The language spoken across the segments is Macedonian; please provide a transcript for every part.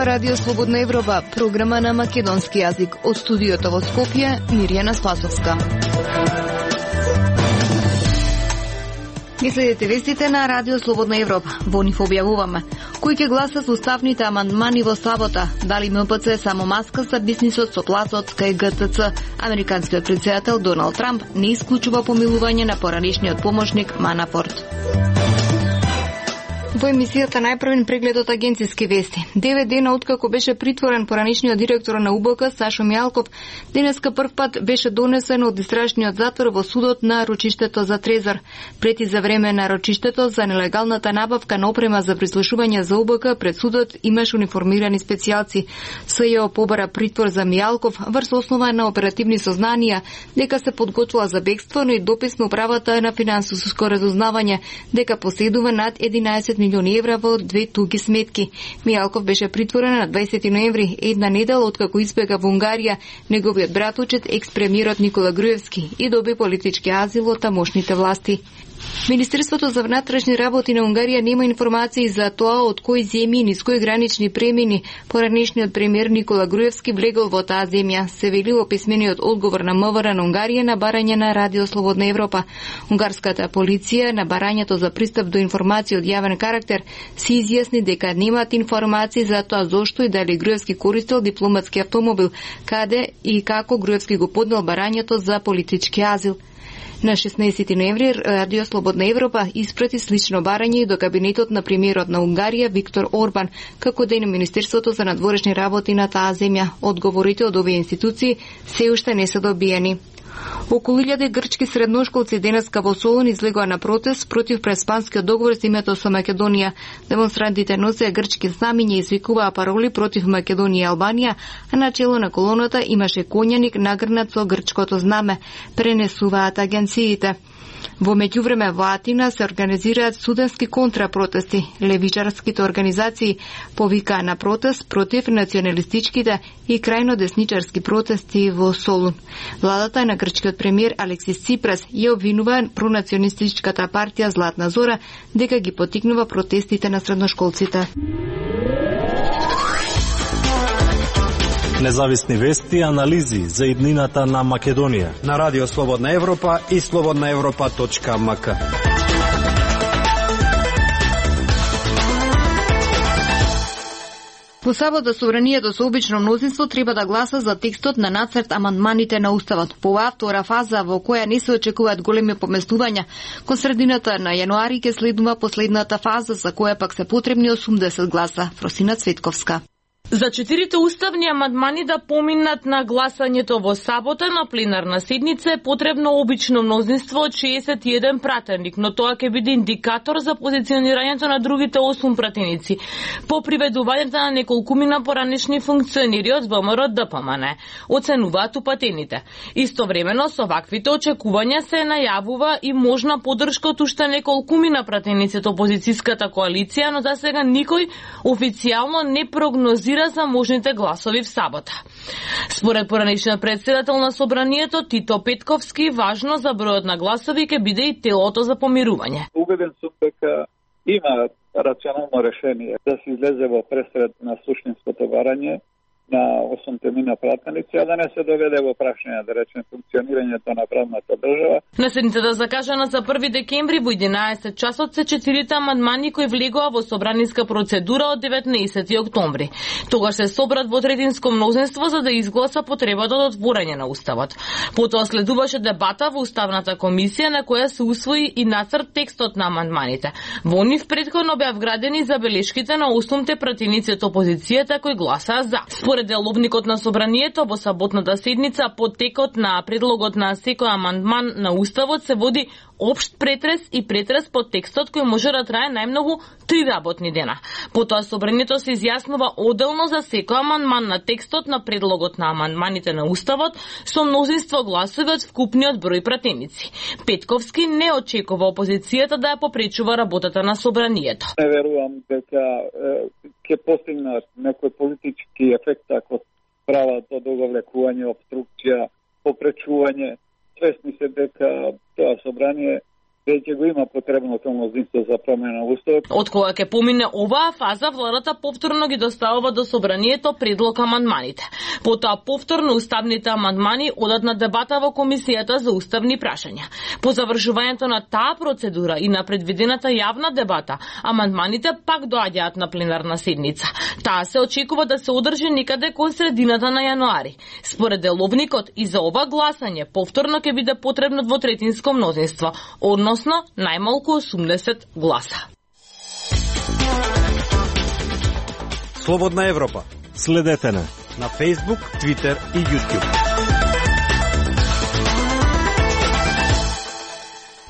Ова Радио Слободна Европа, програма на македонски јазик. Од студиото во Скопје, Мирјана Спасовска. Ги следите вестите на Радио Слободна Европа. Во нив објавуваме кој ќе гласа со уставните амандмани во сабота, дали МПЦ е само маска за бизнисот со платот кај ГТЦ. Американскиот претседател Доналд Трамп не исклучува помилување на поранишниот помошник Манафорт. Во емисијата најпрвен преглед од агенциски вести. 9 дена откако беше притворен поранишниот директор на УБК Сашо Мијалков, денеска прв пат беше донесен од истражниот затвор во судот на рочиштето за Трезор. Пред и за време на рочиштето за нелегалната набавка на опрема за прислушување за УБК пред судот имаш униформирани специјалци. СЈО побара притвор за Мијалков врз основа на оперативни сознанија дека се подготвува за бегство, но и допис на управата на финансиско разузнавање дека поседува над 11 милиони евра во 2 туги сметки. Мијалков беше притворен на 20 ноември, една недела откако избега во Унгарија, неговиот братучет екс-премиерот Никола Груевски и доби политички азил од тамошните власти. Министерството за внатрешни работи на Унгарија нема информации за тоа од кои земји и низ кои гранични премини поранешниот премиер Никола Груевски влегол во таа земја, се вели во писмениот одговор на МВР на Унгарија на барање на Радио Слободна Европа. Унгарската полиција на барањето за пристап до информации од јавен карактер се изјасни дека немаат информации за тоа зошто и дали Груевски користел дипломатски автомобил, каде и како Груевски го поднел барањето за политички азил. На 16 ноември Радио Слободна Европа испрати слично барање до кабинетот на премиерот на Унгарија Виктор Орбан, како и на Министерството за надворешни работи на таа земја. Одговорите од овие институции се уште не се добиени. Околу 1000 грчки средношколци денеска во Солун излегоа на протест против преспанскиот договор за името со Македонија. Демонстрантите носеа грчки знамиња и извикуваа пароли против Македонија и Албанија, а на чело на колоната имаше конјаник нагрнат со грчкото знаме, пренесуваат агенциите. Во меѓувреме во Атина се организираат студентски контрапротести. Левичарските организации повикаа на протест против националистичките и крајно десничарски протести во Солун. Владата на грчкиот премиер Алексис Ципрас ја обвинува пронационалистичката партија Златна Зора дека ги поттикнува протестите на средношколците. Независни вести и анализи за иднината на Македонија на Радио Слободна Европа и slobodnaevropa.mk. Во сабота собранието со обично мнозинство треба да гласа за текстот на нацрт амандманите на Уставот. По оваа втора фаза во која не се очекуваат големи поместувања, кон средината на јануари ќе следува последната фаза за која пак се потребни 80 гласа. Фросина Цветковска. За 4 уставни амандмани да поминат на гласањето во сабота на пленарна седница е потребно обично мнозинство од 61 пратеник, но тоа ќе биде индикатор за позиционирањето на другите 8 пратеници по приведувањето на неколкумина поранешни функционери од ВМРО ДПМН, оценуваат упатените. Истовремено со ваквите очекувања се најавува и можна поддршка од уште неколкумина пратеници од опозицијската коалиција, но за сега никој официјално не прогнозира за можните гласови в сабота. Според поранешниот претседател на собранието Тито Петковски, важно за бројот на гласови ќе биде и телото за помирување. Убеден сум дека има рационално решение да се излезе во пресред на суштинското барање на 8 мина пратеници, а да не се доведе во прашање, да речем, функционирањето на правната држава. На седницата закажана за 1 декември во 11 часот се 4 амандмани кои влегоа во собраниска процедура од 19 октомври. Тогаш се собрат во третинско мнозинство за да изгласа потребата од отворање на Уставот. Потоа следуваше дебата во Уставната комисија на која се усвои и нацрт текстот на амандманите. Во нив претходно беа вградени забелешките на 8 пратеници од опозицијата кои гласаа за. Според деловникот на собранието во саботната седница по текот на предлогот на секој амандман на Уставот се води општ претрес и претрес по текстот кој може да трае најмногу 3 работни дена. Потоа собранието се изјаснува оделно за секој амандман на текстот на предлогот на амандманите на Уставот со мнозинство гласови од вкупниот број пратеници. Петковски не очекува опозицијата да ја попречува работата на собранието. Не верувам дека ќе постигнат некој политички ефект ако прават од оговлекување, обструкција, попречување. Свесни се дека тоа собрание веќе го има потребното мнозинство за промена на уставот. Од кога ќе помине оваа фаза, владата повторно ги доставува до собранието предлог амандманите. Потоа повторно уставните амандмани одат на дебата во комисијата за уставни прашања. По завршувањето на таа процедура и на предвидената јавна дебата, амандманите пак доаѓаат на пленарна седница. Таа се очекува да се одржи некаде кон средината на јануари. Според деловникот и за ова гласање повторно ќе биде потребно двотретинско мнозинство, односно најмалку 80 гласа. Слободна Европа. Следете на Facebook, Twitter и YouTube.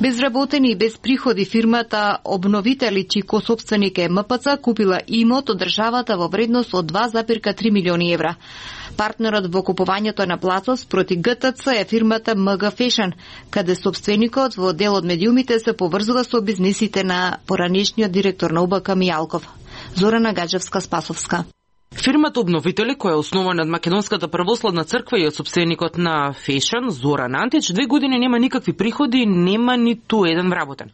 Безработени и без приходи фирмата Обновители, чиј косопственик е МПЦ, купила имот од државата во вредност од 2,3 милиони евра. Партнерот во купувањето на плацот спроти ГТЦ е фирмата МГ Фешн, каде собственикот во дел од медиумите се поврзува со бизнисите на поранешниот директор на УБК Мијалков. Зорана Гаджевска-Спасовска. Фирмата Обновители, која е основана од Македонската православна црква и од собственикот на Фешн, Зоран Антич, 2 години нема никакви приходи и нема ниту еден вработен.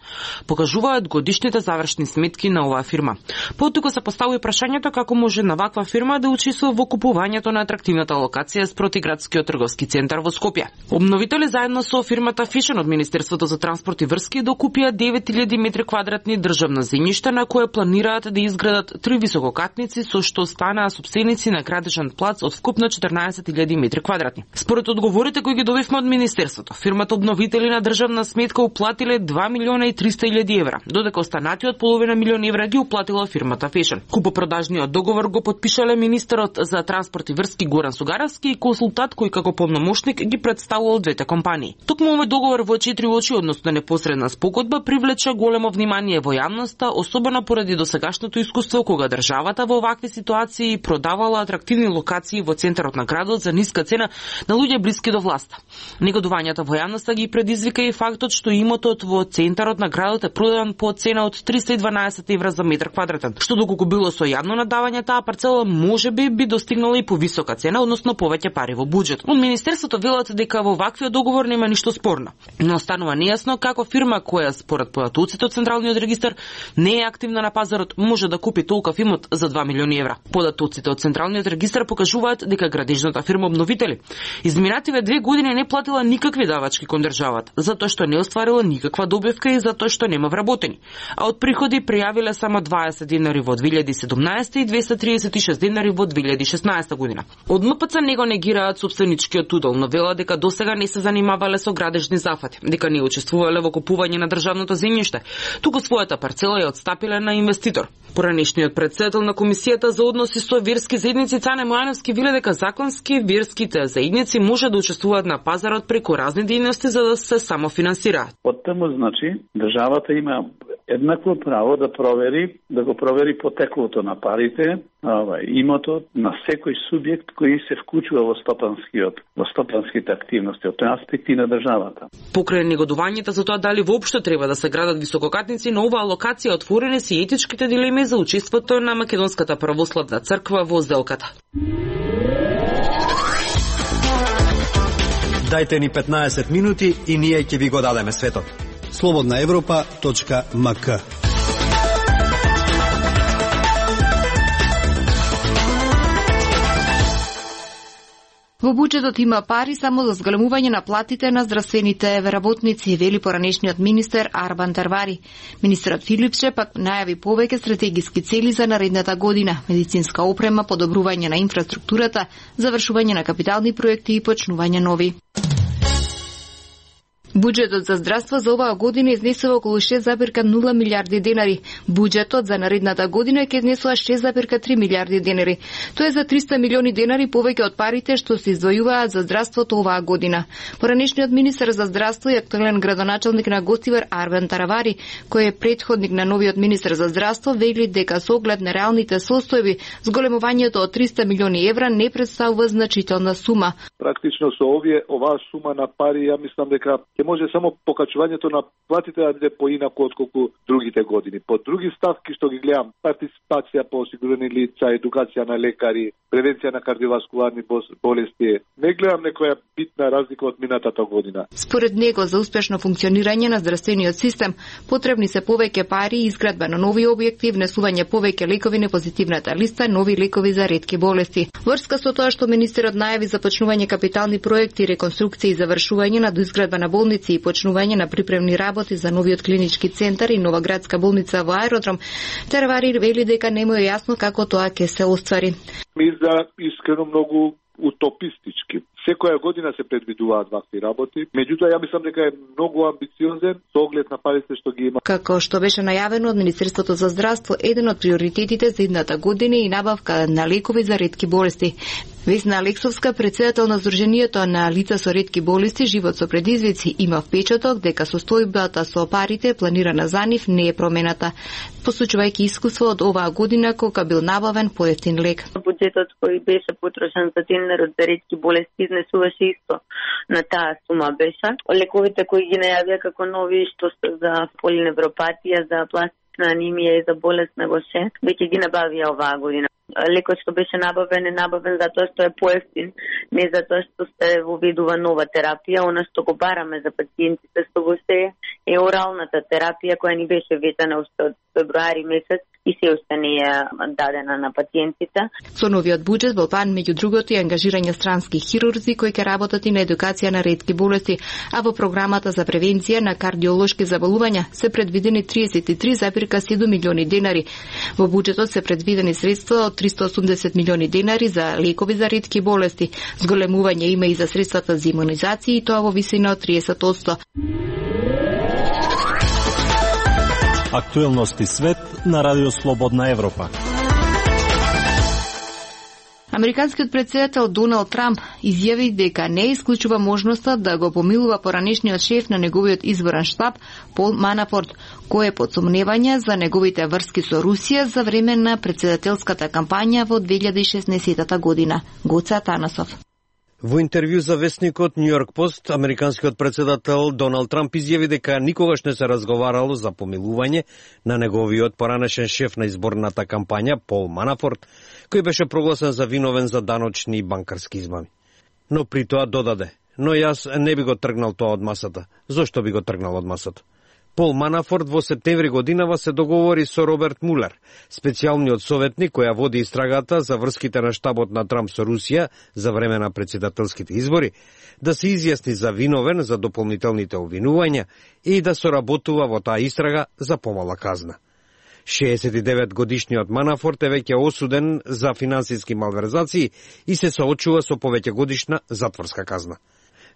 Покажуваат годишните завршни сметки на оваа фирма. Потука се поставува прашањето како може на ваква фирма да учествува во купувањето на атрактивната локација спроти градскиот трговски центар во Скопје. Обновители заедно со фирмата Фешн од Министерството за транспорт и врски докупија 9000 метри квадратни државна земјишта на кое планираат да изградат 3 висококатници со што станаа собственици на градежен плац од вкупно 14.000 метри квадратни. Според одговорите кои ги добивме од Министерството, фирмата Обновители на државна сметка уплатиле 2.300.000 евра, додека останатиот половина милион евра ги уплатила фирмата Фешн. Купопродажниот договор го потпишале министерот за транспорт и врски Горан Сугаровски и консултант кој како полномошник ги представувал двете компании. Токму овој договор во 4 очи, односно непосредна спогодба, привлече големо внимание во јавноста, особено поради досегашното искуство кога државата во овакви ситуации продавала атрактивни локации во центарот на градот за ниска цена на луѓе блиски до власта. Негодувањата во јавноста ги предизвика и фактот што имотот во центарот на градот е продаден по цена од 312 евра за метар квадратен, што доколку било со јавно надавање, таа парцела можеби би достигнала и повисока цена, односно повеќе пари во буџет. Од Министерството велат дека во ваквиот договор нема ништо спорно, но останува нејасно како фирма која според податоците од Централниот регистар не е активна на пазарот може да купи толков имот за 2 милиони евра. Податоците од Централниот регистар покажуваат дека градежната фирма Обновители изминативе 2 години не платила никакви давачки кон државата, затоа што не остварила никаква добивка и затоа што нема вработени. А од приходи пријавиле само 20 денари во 2017 и 236 денари во 2016 година. Од МПЦ не го негираат собственичкиот удел, но вела дека досега не се занимавале со градежни зафати, дека не учествувале во купување на државното земјиште, туку својата парцела ја отстапиле на инвеститор. Поранешниот претседател на комисијата за односи со верски заедници Цане Мојановски веле дека законски верските заедници може да учествуваат на пазарот преку разни дејности за да се самофинансираат. Од таму значи државата има еднакво право да го провери потеклото на парите, имотот на секој субјект кој се вклучува во стопанските активности од тој аспект и на државата. Покрај негодувањето за тоа дали воопшто треба да се градат висококатници, на оваа локација отворени се етичките дилеми за учеството на Македонската православна црква во сделката. Дајте ни 15 минути и ние ќе ви го дадеме светот. slobodnaevropa.mk. Во буџетот има пари само за зголемување на платите на здравствените работници, вели поранешниот министер Арбан Тарвари. Министерот Филипче пак најави повеќе стратегиски цели за наредната година: медицинска опрема, подобрување на инфраструктурата, завршување на капитални проекти и почнување нови. Буџетот за здравство за оваа година изнесува околу 6,0 милиарди денари. Буџетот за наредната година ќе изнесува 6,3 милиарди денари. Тоа е за 300 милиони денари повеќе од парите што се издвојуваат за здравството оваа година. Поранешниот министер за здравство и актуелен градоначалник на Гостивар Арбан Таравари, кој е предходник на новиот министер за здравство, вели дека со оглед на реалните состојби, зголемувањето од 300 милиони евра не представува значителна сума. Практично со оваа сума на пари, ја мислам дека ќе може само покачувањето на платите да биде поинаку отколку другите години. По други ставки што ги гледам, партиципација по осигурени лица, едукација на лекари, превенција на кардиоваскуларни болести, не гледам некоја битна разлика од минатата година. Според него, за успешно функционирање на здравствениот систем, потребни се повеќе пари, изградба на нови објекти, внесување повеќе лекови на позитивната листа, нови лекови за ретки болести. Врска со тоа што министерот најави започнување капитални проекти, реконструкција и завршување на доизградба на болници и почнување на припремни работи за новиот клинички центар и нова градска болница во аеродром, Тервари вели дека не му е јасно како тоа ќе се оствари. Мисля искрено многу утопистички. Секоја година се предвидуваат вакви работи, меѓутоа ја мислам дека е многу амбициозен со оглед на парите што ги има. Како што беше најавено од Министерството за здравство, еден од приоритетите за идната година е и набавка на лекови за ретки болести. Весна Алексовска, председател на Сдруженијето на лица со ретки болести Живот со предизвици, има впечаток дека состојбата со парите планирана за нив не е промената, посочувајќи искуство од оваа година кога бил набавен поевтин лек. Буџетот кој беше потрошен за тендерот за ретки болести изнесуваше исто на таа сума беше. Лековите кои ги најавија како нови, што се за полиневропатија, за пластична анемија и за болест на гоше, веќе ги набавија оваа година. Лекот што беше набавен е набавен затоа што е поевтин, не затоа што се воведува нова терапија. Она што го бараме за пациентите што го се е оралната терапија која ни беше ветена уште од февруари месец и се уште не е дадена на пациентите. Со новиот буџет во план меѓу другото и ангажирање странски хирурзи кои ќе работат и на едукација на ретки болести, а во програмата за превенција на кардиолошки заболувања се предвидени 33,7 милиони денари. Во буџетот се предвидени средства од 380 милиони денари за лекови за ретки болести. Зголемување има и за средствата за имунизација и тоа во висина од 30%. Актуелности свет на Радио Слободна Европа. Американскиот председател Доналд Трамп изјави дека не исклучува можноста да го помилува поранешниот шеф на неговиот изборен штаб Пол Манафорт, кој е под сомневање за неговите врски со Русија за време на председателската кампања во 2016 година. Гоца Танасов. Во интервју за весникот Нью Йорк Пост, американскиот председател Доналд Трамп изјави дека никогаш не се разговарало за помилување на неговиот поранешен шеф на изборната кампања Пол Манафорт, кој беше прогласен за виновен за даночни и банкарски измами. Но при тоа додаде: "Но јас не би го тргнал тоа од масата." Зошто би го тргнал од масата? Пол Манафорт во септември годинава се договори со Роберт Мулер, специјалниот советник која води истрагата за врските на штабот на Трамп со Русија за време на председателските избори, да се изјасни за виновен за дополнителните обвинувања и да соработува во таа истрага за помала казна. 69 годишниот Манафорт е веќе осуден за финансиски малверзации и се соочува со повеќе годишна затворска казна.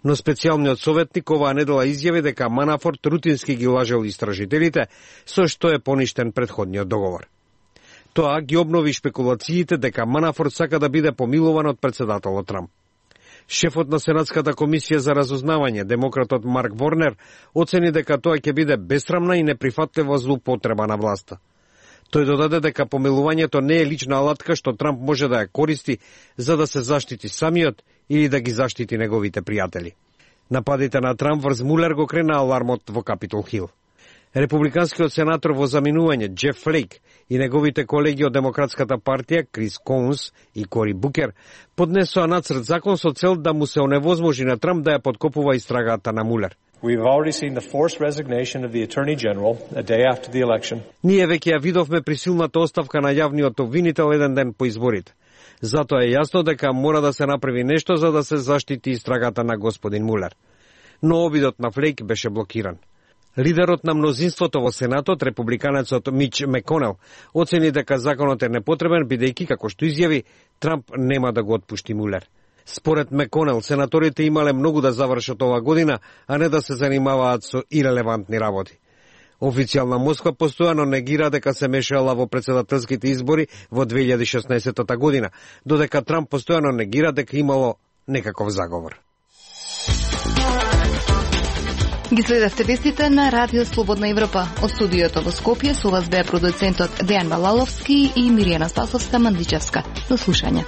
Но специјалниот советник оваа недела изјави дека Манафорт рутински ги лажел истражителите, со што е поништен претходниот договор. Тоа ги обнови шпекулациите дека Манафорт сака да биде помилуван од председателот Трамп. Шефот на Сенатската комисија за разузнавање, демократот Марк Ворнер, оцени дека тоа ќе биде бесрамна и неприфатлива злоупотреба на власта. Тој додаде дека помилувањето не е лична алатка што Трамп може да ја користи за да се заштити самиот или да ги заштити неговите пријатели. Нападите на Трамп врз Мулер го крена алармот во Капитол Хил. Републиканскиот сенатор во заминување Джеф Флейк и неговите колеги од Демократската партија Крис Коунс и Кори Букер поднесоа нацрт закон со цел да му се оневозможи на Трамп да ја подкопува истрагата на Мулер. We've already seen the forced resignation of the Attorney General a day after the election. Ние веќе ја видовме присилната оставка на јавниот обвинител еден ден по изборите. Затоа е јасно дека мора да се направи нешто за да се заштити истрагата на господин Мулер. Но обидот на Флейк беше блокиран. Лидерот на мнозинството во Сенатот, републиканецот Мич Меконел, оцени дека законот е непотребен, бидејќи, како што изјави, Трамп нема да го отпушти Мулер. Според Меконел, сенаторите имале многу да завршат ова година, а не да се занимаваат со ирелевантни работи. Официјална Москва постојано негира дека се мешала во председателските избори во 2016 година, додека Трамп постојано негира дека имало некаков заговор. Ги следевте вестите на Радио Слободна Европа. Од студиото во Скопје со вас беа продуцентот Дејан Балаловски и Миријана Спасовска-Мандичевска. До слушање.